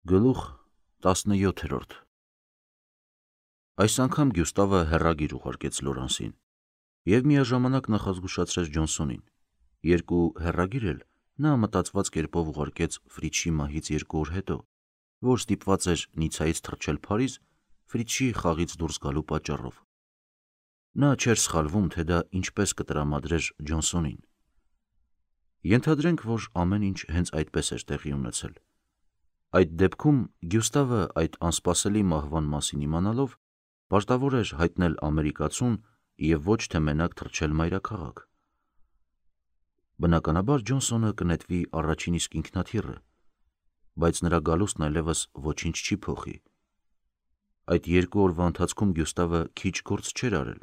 Գլուխ 17 Այս անգամ Գյուստավը հեռագիր ուղարկեց Լորանսին և միաժամանակ նախազգուշացրեց Ջոնսոնին։ Երկու հեռագիր էլ նա մտածված կերպով ուղարկեց Ֆրիչի մահից 2 օր հետո, որ ստիպված էր Նիցայից թռչել Փարիզ Ֆրիչի խաղից դուրս գալու պատճառով։ Նա չէր սխալվում, թե դա ինչպես կտրամադրեր Ջոնսոնին։ Ենթադրենք, որ ամեն ինչ հենց այդպես էր տեղի ունեցել։ Այդ դեպքում Գյուստավը այդ անսպասելի մահվան մասին իմանալով պարտավոր էր հայտնել ամերիկացուն և ոչ թե մենակ թռչել մայրաքաղաք։ Բնականաբար Ջոնսոնը կնետվի առաջին իսկ ինքնաթիռը, բայց նրա գալուստն այլևս ոչինչ չի փոխի։ Այդ 2 օրվա ընթացքում Գյուստավը քիչ գործ չէր արել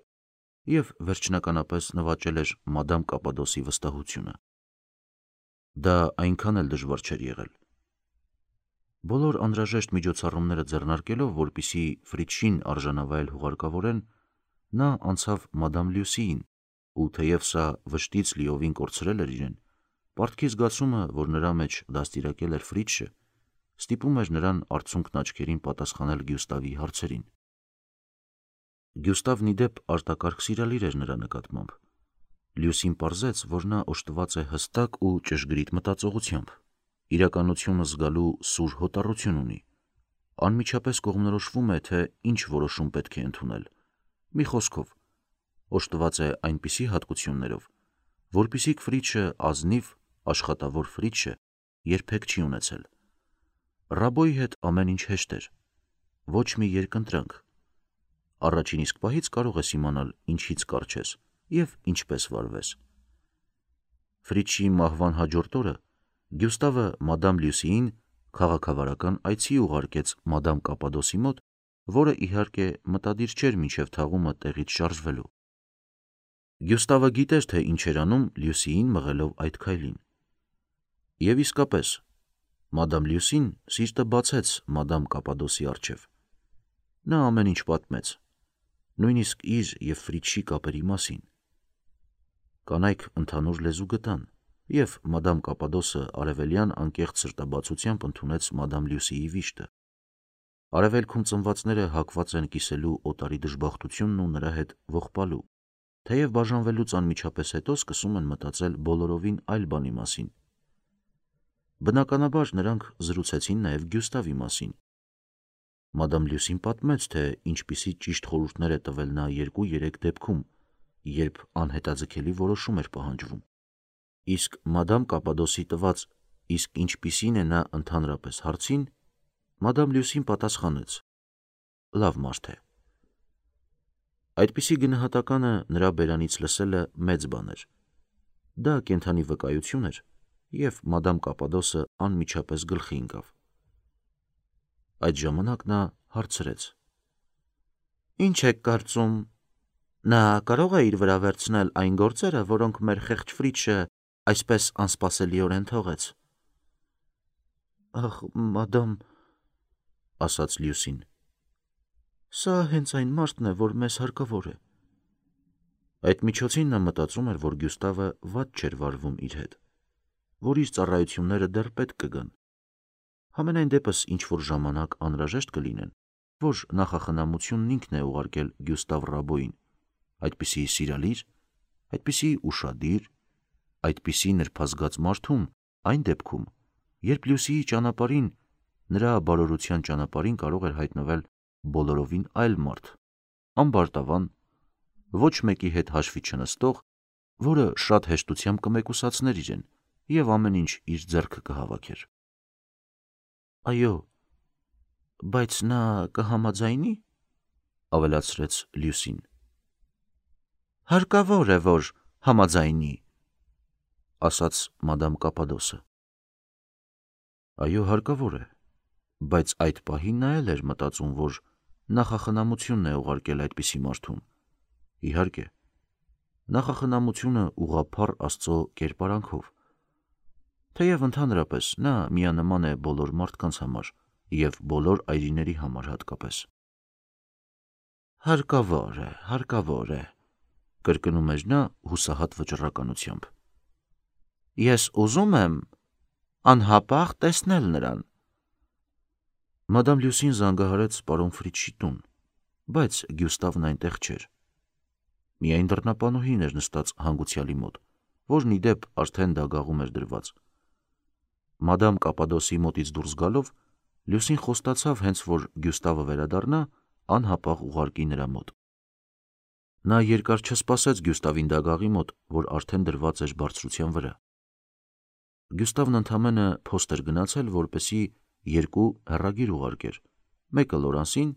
և վերջնականապես նվաճել էր մադամ Կապադոսի վստահությունը։ Դա այնքան էլ դժվար չէր եղել։ Բոլոր անհրաժեշտ միջոցառումները ձեռնարկելով, որպեսզի Ֆրիչին արժանավայել հուղարկավորեն, նա անցավ մադամ Լյուսիին, ու թեև սա վշտից լիովին կորցրել էր իրեն, պարտքի զգացումը, որ նրա մեջ դաստիարակել էր Ֆրիչը, ստիպում էր նրան արցունքն աչքերին պատասխանել Գյուստավի հարցերին։ Գյուստավն ի դեպ արտակարգ սիրալիր էր նրա նկատմամբ։ Լյուսին պարզեց, որ նա օժտված է հստակ ու ճշգրիտ մտածողությամբ, իրականությունը զգալու սուր հոտառություն ունի, անմիջապես կողմնորոշվում է, թե ինչ որոշում պետք է ընդունել։ Մի խոսքով, օժտված է այնպիսի հատկություններով, որպիսիք Ֆրիչը ազնիվ, աշխատավոր Ֆրիչը երբեք չի ունեցել։ Ռաբոյի հետ ամեն ինչ հեշտ էր, ոչ մի երկընտրանք։ Առաջին իսկ պահից կարող ես իմանալ ինչից կառչես և ինչպես վարվես։ Ֆրիչի մահվան հաջորդ օրը Գյուստավը մադամ Լյուսիին քաղաքավարական այցի ուղարկեց մադամ Կապադոսի մոտ, որը իհարկե մտադիր չէր մինչև թաղումը տեղից շարժվելու։ Գյուստավը գիտեր, թե ինչ էր անում Լյուսիին մղելով այդ քայլին։ Եվ իսկապես, մադամ Լյուսին սիրտը բացեց մադամ Կապադոսի առջև։ Նա ամեն ինչ պատմեց, նույնիսկ իր և Ֆրիչի կապերի մասին։ Կանայք ընդհանուր լեզու գտան, և մադամ Կապադոսը արևելյան անկեղծ սրտաբացությամբ ընդունեց մադամ Լյուսիի վիշտը։ Արևելքում ծնվածները հակված են կիսելու օտարի դժբախտությունն ու նրա հետ ողբալու, թեև բաժանվելուց անմիջապես հետո սկսում են մտածել բոլորովին այլ բանի մասին։ Բնականաբար նրանք զրուցեցին նաև Գյուստավի մասին։ Մադամ Լյուսին պատմեց, թե ինչպիսի ճիշտ խորհուրդներ է տվել նա 2-3 դեպքում, երբ անհետաձգելի որոշում էր պահանջվում։ Իսկ մադամ Կապադոսի տված «իսկ ինչպիսին է նա ընդհանրապես» հարցին մադամ Լյուսին պատասխանեց. «Լավ մարդ է»։ Այդպիսի գնահատականը նրա բերանից լսելը մեծ բան էր։ Դա կենդանի վկայություն էր, և մադամ Կապադոսը անմիջապես գլխի ընկավ։ Այդ ժամանակ նա հարցրեց. «Ինչ եք կարծում, նա կարո՞ղ է իր վրա վերցնել այն գործերը, որոնք մեր խեղճ Ֆրիչը այսպես անսպասելիորեն թողեց»։ «Ախ, մադամ», ասաց Լյուսին, «սա հենց այն մարդն է, որ մեզ հարկավոր է»։ Այդ միջոցին նա մտածում էր, որ Գյուստավը վատ չէր վարվում իր հետ, որ իր ծառայությունները դեռ պետք կգան։ Համենայն դեպս ինչ-որ ժամանակ անհրաժեշտ կլինեն, որ նախախնամությունն ինքն է ուղարկել Գյուստավ Ռաբոյին, այդպիսի սիրալիր, այդպիսի ուշադիր, այդպիսի նրբազգաց մարդում, այն դեպքում, երբ Լյուսիի ճանապարհին, նրա բարօրության ճանապարհին կարող էր հայտնվել բոլորովին այլ մարդ, ամբարտավան, ոչ մեկի հետ հաշվի չնստող, որը շատ հեշտությամբ կմեկուսացներ իրեն և ամեն ինչ իր ձեռքը կհավաքեր։ «Այո, բայց նա կհամաձայնի՞, ավելացրեց Լյուսին։ «Հարկավոր է, որ համաձայնի», ասաց մադամ Կապադոսը։ Այո, հարկավոր է, բայց այդ պահին նա էլ էր մտածում, որ նախախնամությունն է ուղարկել այդպիսի մարդուն։ Իհարկե, նախախնամությունը ուղղափառ Աստծո կերպարանքով։ Թեև ընդհանրապես նա միանման է բոլոր մարդկանց համար և բոլոր այրիների համար հատկապես։ Հարկավոր է, կրկնում էր նա հուսահատ վճռականությամբ։ Ես ուզում եմ անհապաղ տեսնել նրան։ Մադամ Լյուսին զանգահարեց պարոն Ֆրիցշի տուն, բայց Գյուստավն այնտեղ չէր։ Միայն դռնապանուհին էր նստած հանգուցյալի մոտ, որն ի դեպ արդեն դագաղում էր դրված։ Մադամ Կապադոսի մոտից դուրս գալով, Լյուսին խոստացավ հենց որ Գյուստավը վերադառնա, անհապաղ ուղարկի նրա մոտ։ Նա երկար չսպասեց Գյուստավին դագաղի մոտ, որ արդեն դրված էր բարձրության վրա։ Գյուստավն ընդամենը փոստ էր գնացել, որպեսզի երկու հեռագիր ուղարկեր, մեկը Լորանսին,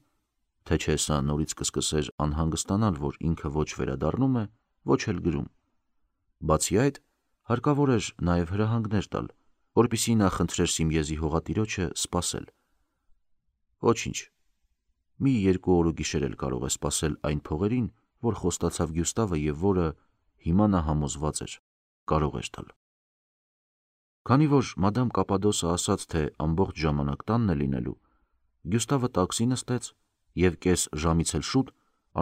թե չէ սա նորից կսկսեր անհանգստանալ, որ ինքը ոչ վերադառնում է, ոչ էլ գրում։ Բացի այդ, հարկավոր էր նաև հրահանգներ տալ, որպեսզի նա խնդրեր Սիմիեզի հողատիրոջը սպասել։ Ոչինչ, մի 2 օր ու գիշեր էլ կարող է սպասել այն փողերին, որ խոստացավ Գյուստավը և որը հիմա նա համոզված էր, կարող էր տալ։ Քանի որ մադամ Կապադոսը ասաց, թե ամբողջ ժամանակ տանն է լինելու, Գյուստավը տաքսի նստեց և կես ժամից էլ շուտ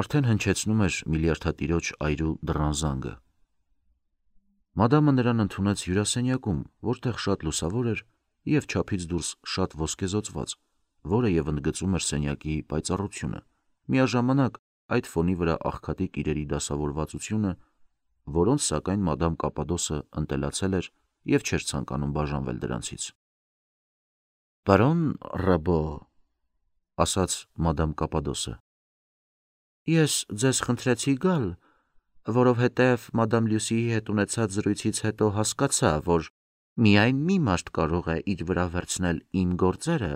արդեն հնչեցնում էր միլիարդատիրոջ այրու դռան զանգը։ Մադամը նրան ընդունեց հյուրասենյակում, որտեղ շատ լուսավոր էր և չափից դուրս շատ ոսկեզօծված, որը և ընդգծում էր սենյակի պայծառությունը, միաժամանակ այդ ֆոնի վրա աղքատիկ իրերի դասավորվածությունը, որոնց սակայն մադամ Կապադոսը ընտելացել էր և չէր ցանկանում բաժանվել դրանցից։ «Պարոն Ռաբո», ասաց մադամ Կապադոսը, «ես ձեզ խնդրեցի գալ, որովհետև մադամ Լյուսիի հետ ունեցած զրույցից հետո հասկացա, որ միայն մի մարդ կարող է իր վրա վերցնել իմ գործերը,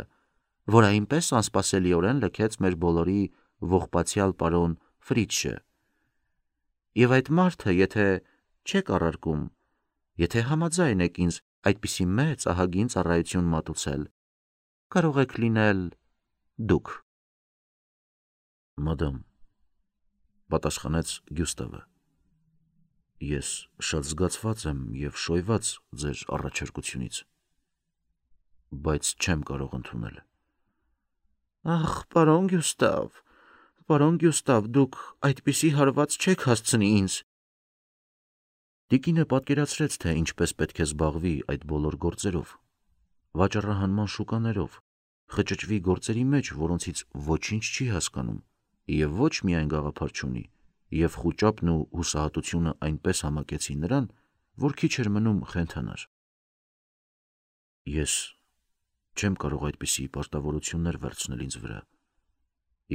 որ այնպես անսպասելիորեն լքեց մեր բոլորի ողբացյալ պարոն Ֆրիցշը։ Եվ այդ մարդը, եթե չեք առարկում, եթե համաձայն եք ինձ այդպիսի մեծ ահագին ծառայություն մատուցել, կարող եք լինել դուք»։ «Մադամ», պատասխանեց Գյուստավը, «ես շատ զգացված եմ և շոյված ձեր առաջարկությունից, բայց չեմ կարող ընդունել»։ «Ախ, պարոն Գյուստավ, դուք այդպիսի հարված չեք հասցնի ինձ»։ Տիկինը պատկերացրեց, թե ինչպես պետք է զբաղվի այդ բոլոր գործերով, վաճառահանման շուկաներով, խճճվի գործերի մեջ, որոնցից ոչինչ չի հասկանում և ոչ միայն գաղափար չունի, և խուճապն ու հուսահատությունը այնպես համակեցին նրան, որ քիչ էր մնում խենթանար։ «Ես չեմ կարող այդպիսի պարտավորություններ վերցնել ինձ վրա,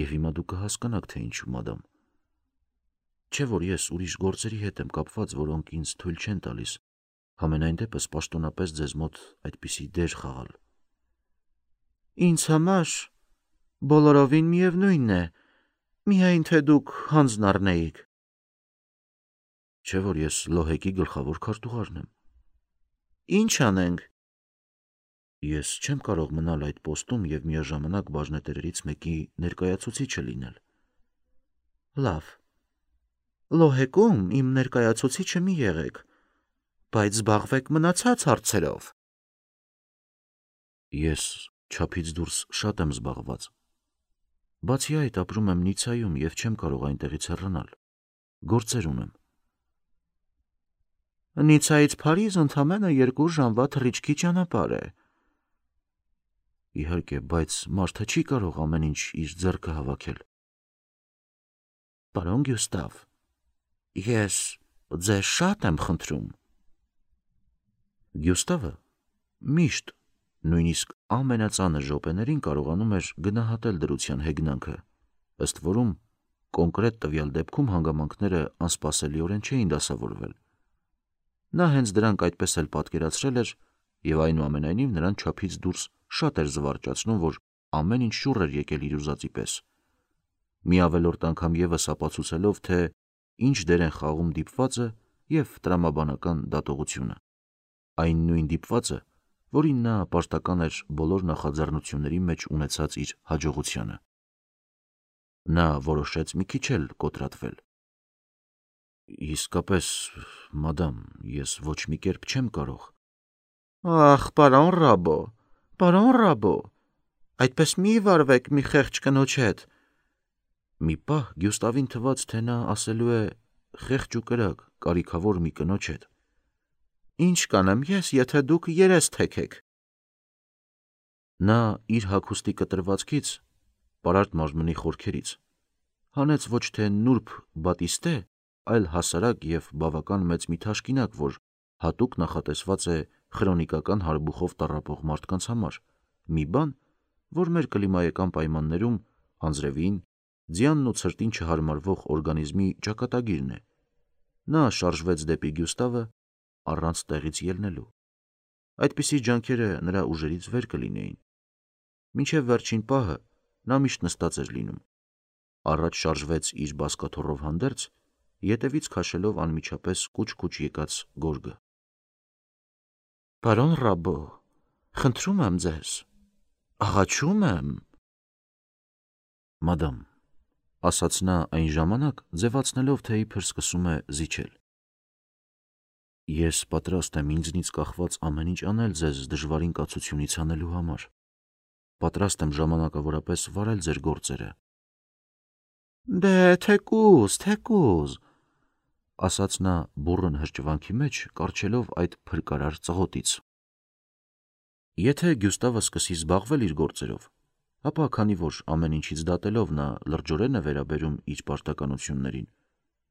և հիմա դուք կհասկանաք, թե ինչու, մադամ։ Չէ՞ որ ես ուրիշ գործերի հետ եմ կապված, որոնք ինձ թույլ չեն տալիս համենայն դեպս պաշտոնապես ձեզ մոտ այդպիսի դեր խաղալ»։ «Ինձ համար բոլորովին միևնույն է, միայն թե դուք հանձն առնեիք»։ «Չէ՞ որ ես Լոհեկի գլխավոր քարտուղարն եմ»։ «Ինչ անենք»։ «Ես չեմ կարող մնալ այդ պոստում և միաժամանակ բաժնետերերից մեկի ներկայացուցիչը լինել»։ «Լավ, Լոհեկում իմ ներկայացուցիչը մի եղեք, բայց զբաղվեք մնացած հարցերով»։ «Ես չափից դուրս շատ եմ զբաղված։ Բացի այդ, ապրում եմ Նիցայում և չեմ կարող այնտեղից հեռանալ, գործեր ունեմ»։ «Նիցայից Փարիզ ընդամենը 2 ժամվա թռիչքի ճանապարհ է»։ «Իհարկե, բայց մարդը չի կարող ամեն ինչ իր ձեռքը հավաքել»։ «Պարոն Գյուստավ, ես ձեզ շատ եմ խնդրում»։ Գյուստավը միշտ, նույնիսկ ամենածանր րոպեներին կարողանում էր գնահատել դրության հեգնանքը, ըստ որում կոնկրետ տվյալ դեպքում հանգամանքները անսպասելիորեն չէին դասավորվել։ Նա հենց դրանք այդպես էլ պատկերացրել էր և այնուամենայնիվ նրան չափից դուրս շատ էր զվարճացնում, որ ամեն ինչ շուռ էր եկել իր ուզածի պես, մի ավելորդ անգամ ևս ապացուցելով, թե ինչ դեր են խաղում դիպվածը և տրամաբանական դատողությունը, այն նույն դիպվածը, որին նա պարտական էր բոլոր նախաձեռնությունների մեջ ունեցած իր հաջողությանը։ Նա որոշեց մի քիչ էլ կոտրատվել։ «Իսկապես, մադամ, ես ոչ մի կերպ չեմ կարող»։ «Ախ, պարոն Ռաբո, այդպես մի վարվեք մի խեղճ կնոջ հետ»։ Մի պահ Գյուստավին թվաց, թե նա ասելու է խեղճ ու կրակ, կարիքավոր մի կնոջ հետ։ «Ինչ կանեմ ես, եթե դուք երես թեքեք»։ Նա իր հագուստի կտրվածքից, պարարտ մարմնի խորքերից, հանեց ոչ թե նուրբ բատիստե, այլ հասարակ և բավական մեծ մի թաշկինակ, որ հատուկ նախատեսված է խրոնիկական հարբուխով տառապող մարդկանց համար, մի բան, որ մեր կլիմայական պայմաններում անձրևին, ձյանն ու ցրտին չհարմարվող օրգանիզմի ճակատագիրն է։ Նա շարժվեց դեպի Գյուստավը առանց տեղից ելնելու։ Այդպիսի ջանքերը նրա ուժերից վեր կլինեին։ Մինչև վերջին պահը նա միշտ նստած էր լինում, առաջ շարժվեց իր բազկաթոռով հանդերձ, ետևից քաշելով անմիջապես կուչ-կուչ եկած գորգը։ «Պարոն Ռաբո, խնդրում եմ ձեզ, աղաչում եմ»։ «Մադամ», ասաց նա այն ժամանակ, ձևացնելով, թե իբր սկսում է զիջել, «ես պատրաստ եմ ինձնից կախված ամեն ինչ անել ձեզ դժվարին կացությունից հանելու համար, պատրաստ եմ ժամանակավորապես վարել ձեր գործերը»։ «Դե, թեկուզ, ասաց նա բուռն հրճվանքի մեջ, կառչելով այդ փրկարար ծղոտից։ Եթե Գյուստավը սկսի զբաղվել իր գործերով, ապա քանի որ ամեն ինչից դատելով նա լրջորեն է վերաբերում իր պարտականություններին,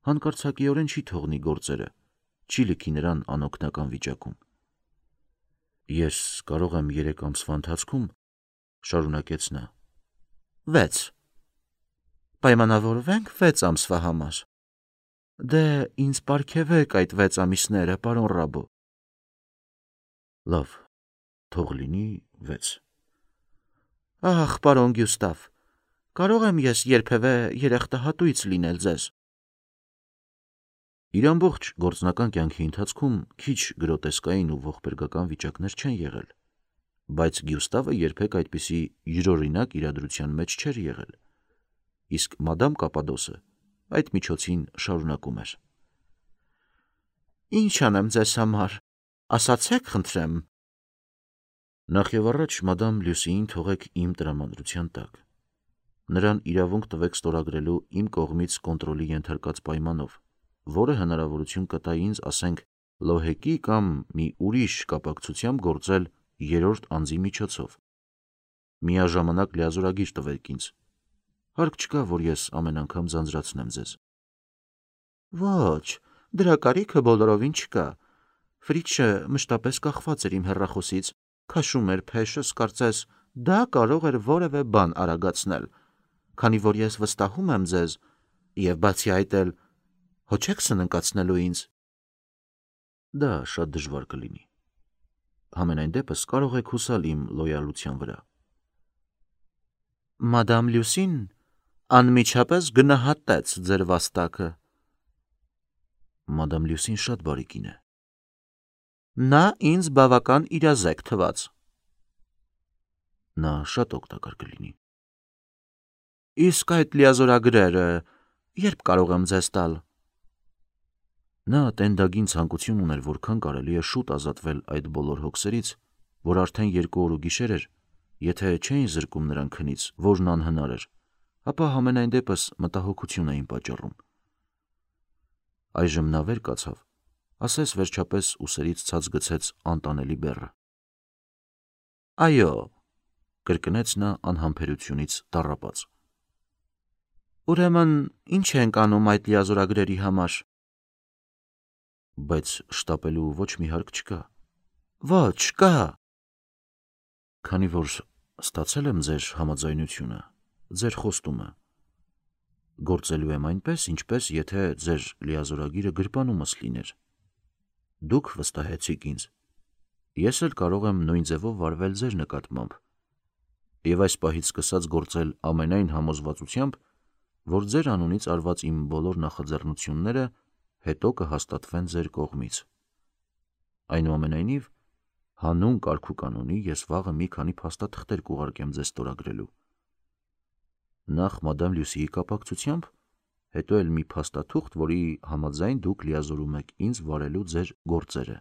հանկարծակիորեն չի թողնի գործերը, չի լքի նրան անօգնական վիճակում։ «Ես կարող եմ 3 ամսվա ընթացքում», շարունակեց նա, 6. Պայմանավորվենք 6 ամսվա համար։ Դե, ինձ պարգևեք այդ 6 ամիսները, պարոն Ռաբո։ Լավ, թող լինի 6։ Ահ, պարոն Գյուստավ, կարող եմ ես երբևէ երախտահատույց լինել ձեզ։ Իր ամբողջ գործնական կյանքի ընթացքում քիչ գրոտեսկային ու ողբերգական վիճակներ չեն եղել, բայց Գյուստավը երբեք այդպիսի յուրօրինակ իրադրության մեջ չէր եղել, իսկ մադամ Կապադոսը այդ միջոցին շարունակում էր. «Ինչ անեմ ձեզ համար, ասացեք խնդրեմ»։ Նախ եւ առաջ մադամ Լյուսիին թողեք իմ տրամադրության տակ։ Նրան իրավունք տվեք ստորագրելու իմ կողմից կոնտրոլի ենթարկած պայմանով, որը հնարավորություն կտա ինձ, ասենք, լոհեկի կամ մի ուրիշ կապակցությամբ գործել երրորդ անձի միջոցով։ Միաժամանակ լիազորագիր տվեք ինձ։ Հարկ չկա, որ ես ամեն անգամ ձանձրացնեմ ձեզ։ Ոչ, դրա կարիքը բոլորովին չկա։ Ֆրիցը մշտապես կախված էր իմ հեռախոսից, քաշում էր փեշս, կարծես դա կարող էր որևէ բան արագացնել, քանի որ ես վստահում եմ ձեզ, եւ բացի այդ էլ հո չեք սննկացնելու ինձ։ Դա շատ դժվար կլինի։ Համենայն դեպս կարող եք հուսալ իմ լոյալության վրա։ Մադամ Լյուսին անմիջապես գնահատեց ձեր վաստակը։ Մադամ Լյուսին շատ բարի կին է։ Նա ինձ բավական իրազեկ թվաց։ Նա շատ օգտակար կլինի։ Իսկ այդ լիազորագրերը երբ կարող եմ ձեզ տալ։ Նա տենդագին ցանկություն ուներ, որքան կարելի է շուտ ազատվել այդ բոլոր հոգսերից, որ արդեն 2 օր ու գիշեր էր, եթե չէին զրկում նրան քնից, որն անհնար էր, ապա համենայն դեպս մտահոգություն էին պատճառում։ Այժմ նա վեր կացավ, ասես վերջապես ուսերից ցած գցեց անտանելի բեռը։ Այո, կրկնեց նա անհամբերությունից տառապած։ Ուրեմն ինչ ենք անում այդ լիազորագրերի համար։ Բայց շտապելու ոչ մի հարկ չկա։ Ոչ, կա։ Քանի որ ստացել եմ ձեր համաձայնությունը, ձեր խոստումը, գործելու եմ այնպես, ինչպես եթե ձեր լիազորագիրը գրպանումս լիներ։ Դուք վստահեցիք ինձ։ Ես էլ կարող եմ նույն ձևով վարվել ձեր նկատմամբ, եւ այս պահից սկսած գործել ամենայն համոզվածությամբ, որ ձեր անունից արված իմ բոլոր նախաձեռնությունները հետո կհաստատվեն ձեր կողմից։ Այնուամենայնիվ, հանուն կարգուկանոնի ես վաղը մի քանի փաստաթղթեր կուղարկեմ ձեզ ստորագրելու։ Նախ մադամ Լյուսիի կապակցությամբ, հետո էլ մի փաստաթուղթ, որի համաձայն դուք լիազորում եք ինձ վարելու ձեր գործերը։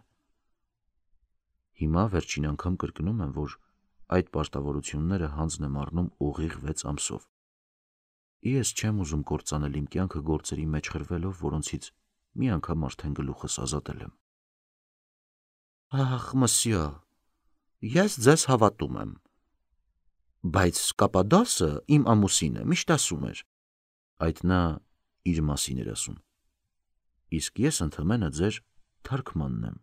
Հիմա վերջին անգամ կրկնում եմ, որ այդ պարտավորությունները հանձն եմ առնում ուղիղ 6 ամսով։ Ես չեմ ուզում կործանել իմ կյանքը գործերի մեջ խրվելով, որոնցից մի անգամ արդեն գլուխս ազատել եմ։ Ահ, մսյո, ես ձեզ հավատում եմ։ Բայց Կապադոսը իմ ամուսինը միշտ ասում էր. Այդ նա իր մասին էր ասում։ Իսկ ես ընդհանրապես ձեր թարգմանն եմ։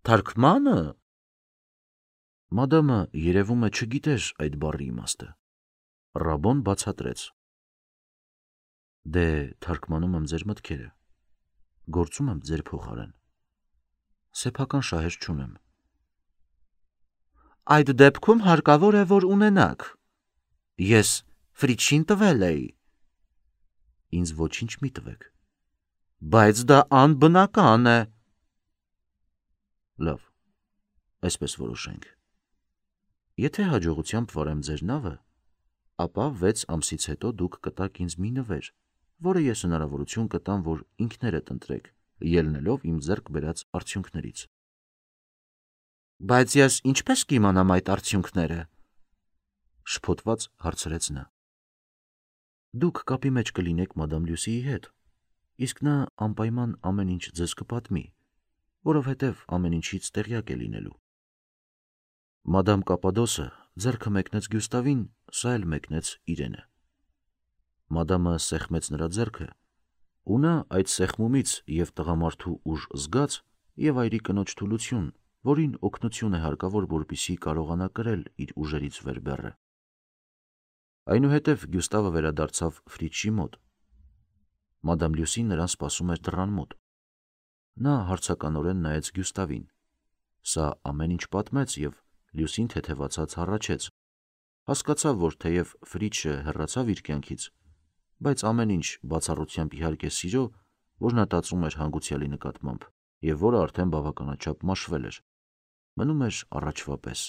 Թարգմանը։ Մադամը երևում է չգիտեր այդ բառի իմաստը։ Ռաբոն բացատրեց. Դե թարգմանում եմ ձեր մտքերը, գործում եմ ձեր փոխարեն, սեփական շահեր չունեմ։ Այդ դեպքում հարկավոր է, որ ունենաք։ Ես Ֆրիչին տվել էի։ Ինձ ոչինչ մի տվեք։ Բայց դա անբնական է։ Լավ, այսպես որոշենք։ Եթե հաջողությամբ վարեմ ձեր նավը, ապա 6 ամսից հետո դուք կտաք ինձ մի նվեր, որը ես հնարավորություն կտամ, որ ինքներդ ընտրեք, ելնելով իմ ձեռք բերած արդյունքներից։ Բայց ես ինչպես կիմանամ այդ արդյունքները։ Շփոթված հարցրեց նա։ Դուք կապի մեջ կլինեք մադամ Լյուսիի հետ, իսկ նա անպայման ամեն ինչ ձեզ կպատմի, որովհետև ամեն ինչից տեղյակ է լինելու։ Մադամ Կապադոսը ձեռքը մեկնեց Գյուստավին, սա էլ մեկնեց իրենը։ Մադամը սեղմեց նրա ձեռքը, ու նա այդ սեղմումից և տղամարդու ուժ զգաց և այրի կնոջ թուլություն, որին օգնություն է հարկավոր, որպեսզի կարողանա կրել իր ուժերից վեր բեռը։ Այնուհետև Գյուստավը վերադարձավ Ֆրիչի մոտ։ Մադամ Լյուսին նրան սպասում էր դռան մոտ։ Նա հարցականորեն նայեց Գյուստավին։ Սա ամեն ինչ պատմեց և Լյուսին թեթևացած հառաչեց։ Հասկացավ, որ թեև Ֆրիչը հեռացավ իր կյանքից, բայց ամեն ինչ բացառությամբ իհարկե սիրո, որ նա տածում էր հանգուցյալի նկատմամբ և որը արդեն բավականաչափ մաշվել էր, մնում էր առաջվա պես։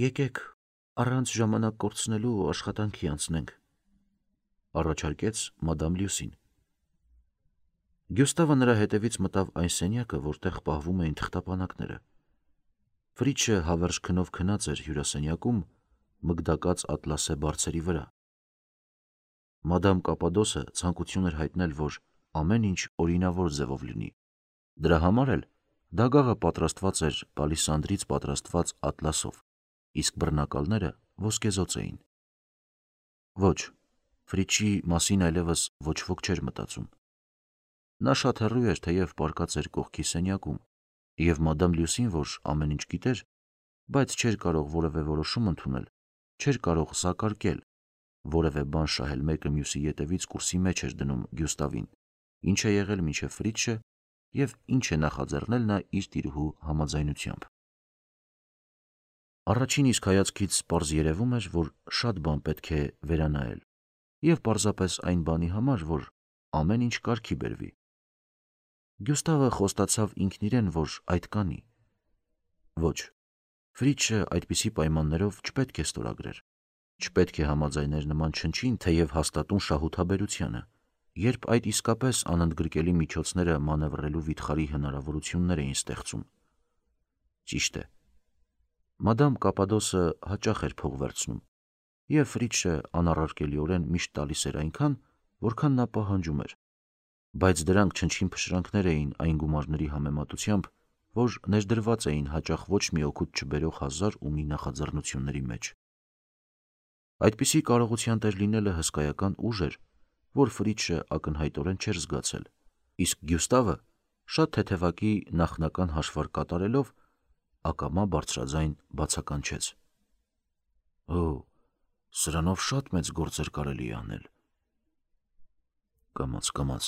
Եկեք առանց ժամանակ կորցնելու աշխատանքի անցնենք, առաջարկեց մադամ Լյուսին։ Գյուստավը նրա հետևից մտավ այն սենյակը, որտեղ պահվում էին թղթապանակները։ Ֆրիչը հավերժ քնով քնած էր հյուրասենյակում, մգդակած ատլասե բարձերի վրա։ Մադամ Կապադոսը ցանկություն էր հայտնել, որ ամեն ինչ օրինավոր ձևով լինի։ Դրա համար էլ դագաղը պատրաստված էր պալիսանդրից պատրաստված ատլասով, իսկ բռնակալները ոսկեզոծ էին։ Ոչ, Ֆրիչի մասին այլևս ոչ ոք չէր մտածում։ Նա շատ հեռու էր, թեև պառկած էր կողքի սենյակում, և մադամ Լյուսին, որ ամեն ինչ գիտեր, բայց չէր կարող որևէ որոշում ընդունել, չէր կարող սակարկել, որևէ բան շահել մեկը մյուսի ետևից կուրսի մեջ էր դնում Գյուստավին, ինչ է եղել մինչև Ֆրիչը և ինչ է նախաձեռնել նա իր տիրուհու համաձայնությամբ։ Առաջին իսկ հայացքից պարզ երևում էր, որ շատ բան պետք է վերանայել, և պարզապես այն բանի համար, որ ամեն ինչ կարգի բերվի։ Գյուստավը խոստացավ ինքն իրեն, որ այդ կանի։ Ոչ, Ֆրիչը այդպիսի պայմաններով չպետք է ստորագրեր, չպետք է համաձայներ նման չնչին, թեև հաստատուն շահութաբերությանը, երբ այդ իսկապես անընդգրկելի միջոցները մանևրելու վիթխարի հնարավորություններ էին ստեղծում։ Ճիշտ է, մադամ Կապադոսը հաճախ էր փող վերցնում, և Ֆրիչը անառարկելիորեն միշտ տալիս էր այնքան, որքան նա պահանջում էր, բայց դրանք չնչին փշրանքներ էին այն գումարների համեմատությամբ, որ ներդրված էին հաճախ ոչ մի օգուտ չբերող հազար ու մի նախաձեռնությունների մեջ։ Այդպիսի կարողության տեր լինելը հսկայական ուժ էր, որ Ֆրիչը ակնհայտորեն չէր զգացել, իսկ Գյուստավը շատ թեթևակի նախնական հաշվարկ կատարելով ակամա բարձրաձայն բացականչեց. Օ, սրանով շատ մեծ գործ էր կարելի անել։ Կամաց,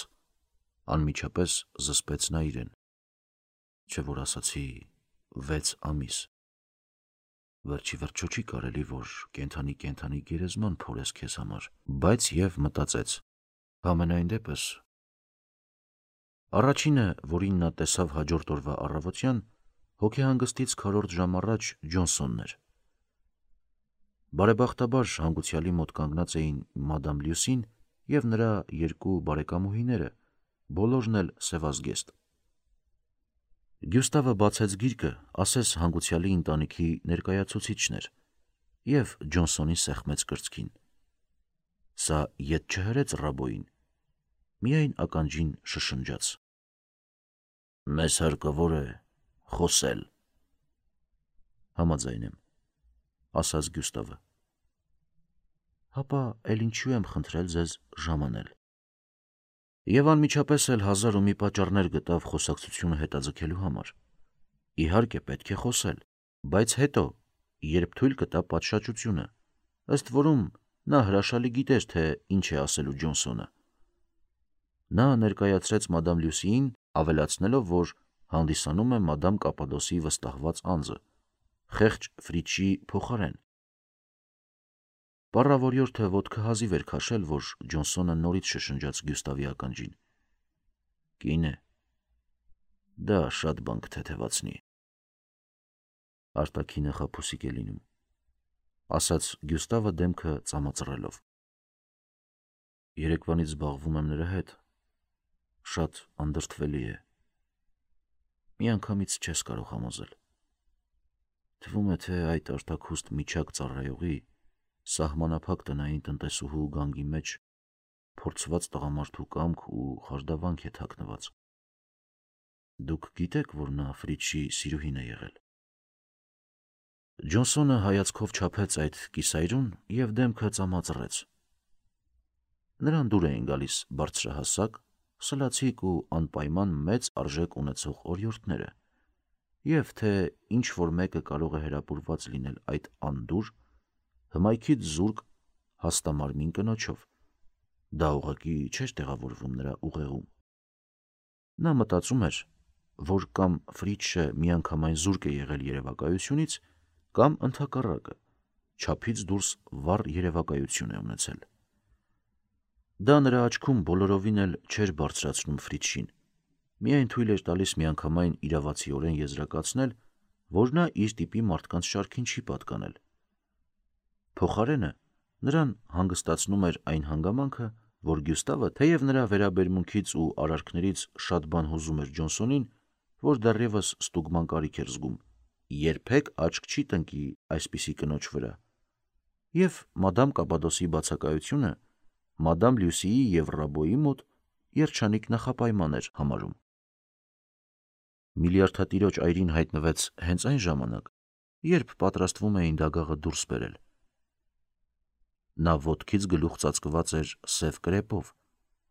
անմիջապես զսպեց նա իրեն, չէ որ ասացի 6 ամիս։ Վերջի վերջո չի կարելի, որ կենդանի գերեզման փորես քեզ համար, բայց և մտածեց. համենայն դեպս։ Առաջինը, որին նա տեսավ հաջորդ օրվա առավոտյան, հոգեհանգստից քառորդ ժամ առաջ Ջոնսոնն էր։ Բարեբախտաբար հանգուցյալի մոտ կանգնած էին մադամ Լյուսին և նրա 2 բարեկամուհիները, բոլորն էլ սևազգեստ։ Գյուստավը բացեց գիրկը, ասես հանգուցյալի ընտանիքի ներկայացուցիչն էր, և Ջոնսոնին սեղմեց կրծքին։ Սա ետ չհրեց Ռաբոյին, միայն ականջին շշնջաց. Մեզ հարկավոր է խոսել։ Համաձայն եմ, ասաց Գյուստավը։ Հապա էլ ինչու եմ խնդրել ձեզ ժամանել։ Եվ անմիջապես էլ 1000 ու մի պատճառներ գտավ խոսակցությունը հետաձգելու համար։ Իհարկե պետք է խոսել, բայց հետո, երբ թույլ կտա պատշաճությունը, ըստ որում նա հրաշալի գիտեր, թե ինչ է ասելու Ջոնսոնը։ Նա ներկայացրեց մադամ Լյուսիին, ավելացնելով, որ հանդիսանում է մադամ Կապադոսի վստահված անձը, խեղճ Ֆրիչի փոխարեն։ Պառավորյորդը ոտքը հազիվ էր քաշել, որ Ջոնսոնը նորից շշնջաց Գյուստավի ականջին. «Կին է, դա շատ բան կթեթևացնի»։ Արտաքինը խաբուսիկ է լինում, ասաց Գյուստավը դեմքը ծամածռելով։ Երեկվանից զբաղվում եմ նրա հետ, շատ անդրդվելի է։ Միանգամից չես կարող համոզել։ Թվում է, թե այդ արտաքուստ միջակ ծառայողի, սահմանափակ տնային տնտեսուհու գանգի մեջ փորձված տղամարդու կամք ու խարդավանք է թաքնված։ Դուք գիտեք, որ նա Ֆրիչի սիրուհին է եղել։ Ջոնսոնը հայացքով չափեց այդ կիսայրուն և դեմքը ծամածռեց։ Նրան դուր էին գալիս բարձրահասակ, սլացիկ ու անպայման մեծ արժեք ունեցող օրիորդները, և թե ինչ-որ մեկը կարող է հրապուրված լինել այդ անդուր, հմայքից զուրկ, հաստամարմին կնոջով, դա ուղղակի չէր տեղավորվում նրա ուղեղում։ Նա մտածում էր, որ կամ Ֆրիչը միանգամայն զուրկ է եղել երևակայությունից, կամ ընդհակառակը, չափից դուրս վառ երևակայություն է ունեցել։ Դա նրա աչքում բոլորովին էլ չէր բարձրացնում Ֆրիչին, միայն թույլ էր տալիս միանգամայն իրավացիորեն եզրակացնել, որ նա իր տիպի մարդկանց շարքին չի պատկանել։ Փոխարենը նրան հանգստացնում էր այն հանգամանքը, որ Գյուստավը, թեև նրա վերաբերմունքից ու արարքներից շատ բան հուզում էր Ջոնսոնին, որ դեռևս ստուգման կարիք էր զգում, երբեք աչք չի տնկի այսպիսի կնոջ վրա, և մադամ Կապադոսի բացակայությունը մադամ Լյուսիի և Ռաբոյի մոտ երջանիկ նախապայման էր համարում։ Միլիարդատիրոջ այրին հայտնվեց հենց այն ժամանակ, երբ պատրաստվում էին դագաղը դուրս բերել։ Նա ոտքից գլուխ ծածկված էր սև կրեպով,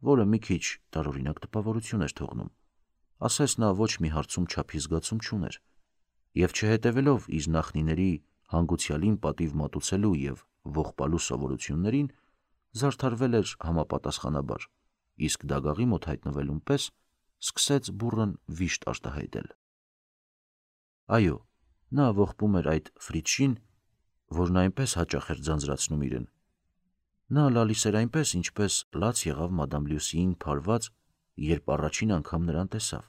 որը մի քիչ տարօրինակ տպավորություն էր թողնում, ասես նա ոչ մի հարցում չափի զգացում չուներ, և չհետևելով իր նախնիների հանգուցյալին պատիվ մատուցելու և ողբալու սովորություններին, զարդարվել էր համապատասխանաբար, իսկ դագաղի մոտ հայտնվելուն պես սկսեց բուռն վիշտ արտահայտել։ Այո, նա ողբում էր այդ Ֆրիչին, որն այնպես հաճախ էր ձանձրացնում իրեն։ Նա լալիս էր այնպես, ինչպես լաց եղավ մադամ Լյուսիին փարված, երբ առաջին անգամ նրան տեսավ։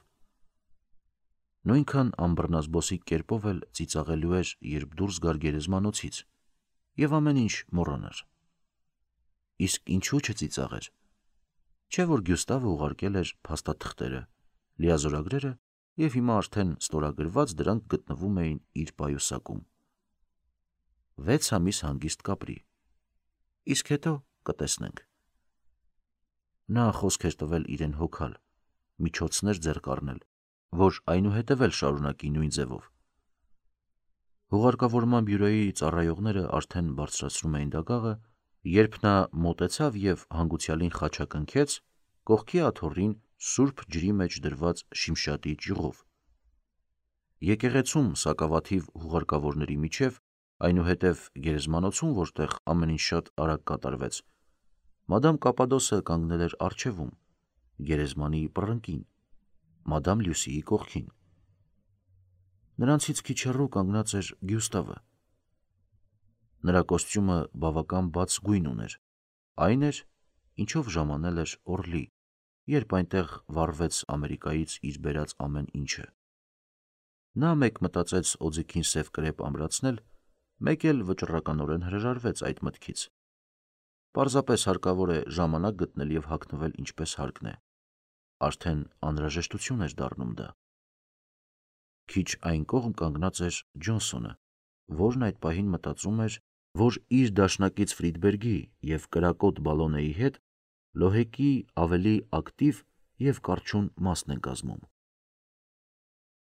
Նույնքան անբռնազբոսիկ կերպով էլ ծիծաղելու էր, երբ դուրս գար գերեզմանոցից, և ամեն ինչ մոռանար։ Իսկ ինչու չծիծաղեր։ Չէ՞ որ Գյուստավը ուղարկել էր փաստաթղթերը, լիազորագրերը, և հիմա արդեն ստորագրված դրանք գտնվում էին իր պայուսակում։ 6 ամիս հանգիստ կապրի, իսկ հետո կտեսնենք։ Նա խոսք էր տվել իրեն հոգալ, միջոցներ ձեռք առնել, որ այնուհետև էլ շարունակի նույն ձևով։ Հուղարկավորման բյուրոյի ծառայողները արդեն բարձրացնում էին դագաղը, երբ նա մոտեցավ և հանգուցյալին խաչակնքեց կողքի աթոռին սուրբ ջրի մեջ դրված շիմշատի ճյուղով։ Եկեղեցում սակավաթիվ հուղարկավորների միջև, այնուհետև գերեզմանոցում, որտեղ ամեն ինչ շատ արագ կատարվեց, մադամ Կապադոսը կանգնել էր առջևում, գերեզմանի պռնկին, մադամ Լյուսիի կողքին։ Նրանցից քիչ հեռու կանգնած էր Գյուստավը։ Նրա կոստյումը բավական բաց գույն ուներ, այն էր, ինչով ժամանել էր Օրլի, երբ այնտեղ վառվեց Ամերիկայից իր բերած ամեն ինչը։ Նա մեկ մտածեց օձիքին սև կրեպ ամրացնել, մեկ էլ վճռականորեն հրաժարվեց այդ մտքից։ Պարզապես հարկավոր է ժամանակ գտնել և հագնվել ինչպես հարկն է։ Արդեն անհրաժեշտություն էր դառնում դա։ Քիչ այն կողմ կանգնած էր Ջոնսոնը, որն այդ պահին մտածում էր, որ իր դաշնակից Ֆրիդբերգի և կրակոտ Բալոնեի հետ լոհեկի ավելի ակտիվ և կառչուն մասն են կազմում։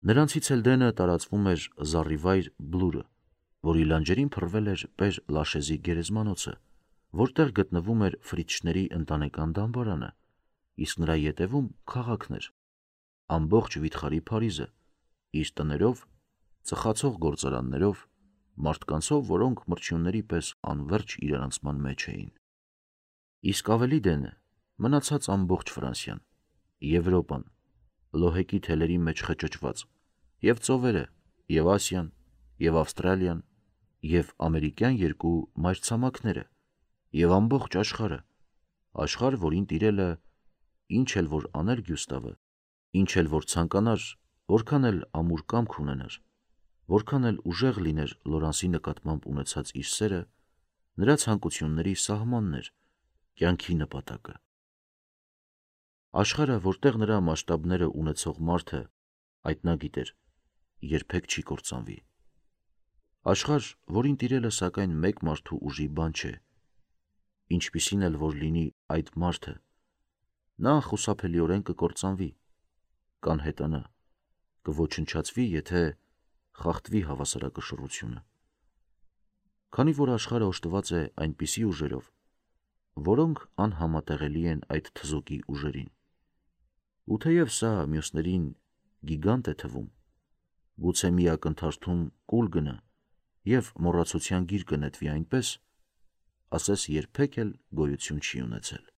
Նրանցից էլ դենը տարածվում էր զառիվայր Բլուրը, որի լանջերին փռվել էր Պեր Լաշեզի գերեզմանոցը, որտեղ գտնվում էր Ֆրիցշների ընտանեկան դամբարանը, իսկ նրա ետևում քաղաքն էր, ամբողջ վիթխարի Փարիզը, իր տներով, ծխացող գործարաններով, մարդկանցով, որոնք մրջյունների պես անվերջ իրարանցման մեջ էին։ Իսկ ավելի դենը մնացած ամբողջ Ֆրանսիան, Եվրոպան, լոհեկի թելերի մեջ խճճված, և ծովերը, և Ասիան, և Ավստրալիան, և ամերիկյան երկու մայրցամաքները, և ամբողջ աշխարհը, աշխարհ, որին տիրելը, ինչ էլ որ աներ Գյուստավը, ինչ էլ որ ցանկանար, որքան էլ ամուր կամք ունենար, որքան էլ ուժեղ լիներ Լորանսի նկատմամբ ունեցած իր սերը, նրա ցանկությունների սահմանն էր, կյանքի նպատակը։ Աշխարհը, որտեղ նրա մասշտաբները ունեցող մարդը, այդ նա գիտեր, երբեք չի կործանվի։ Աշխարհ, որին տիրելը սակայն մեկ մարդու ուժի բան չէ, ինչպիսին էլ որ լինի այդ մարդը, նա խուսափելիորեն կկործանվի, կանհետանա, կոչնչացվի, եթե խախտվի հավասարակշռությունը։ Քանի որ աշխարհը օժտված է այնպիսի ուժերով, որոնք անհամատեղելի են այդ թզուկի ուժերին, ու թեև սա մյուսներին գիգանտ է թվում, գուցե մի ակնթարթում կուլ գնա և մոռացության գիր կնետվի այնպես, ասես երբեք էլ գոյություն չի ունեցել։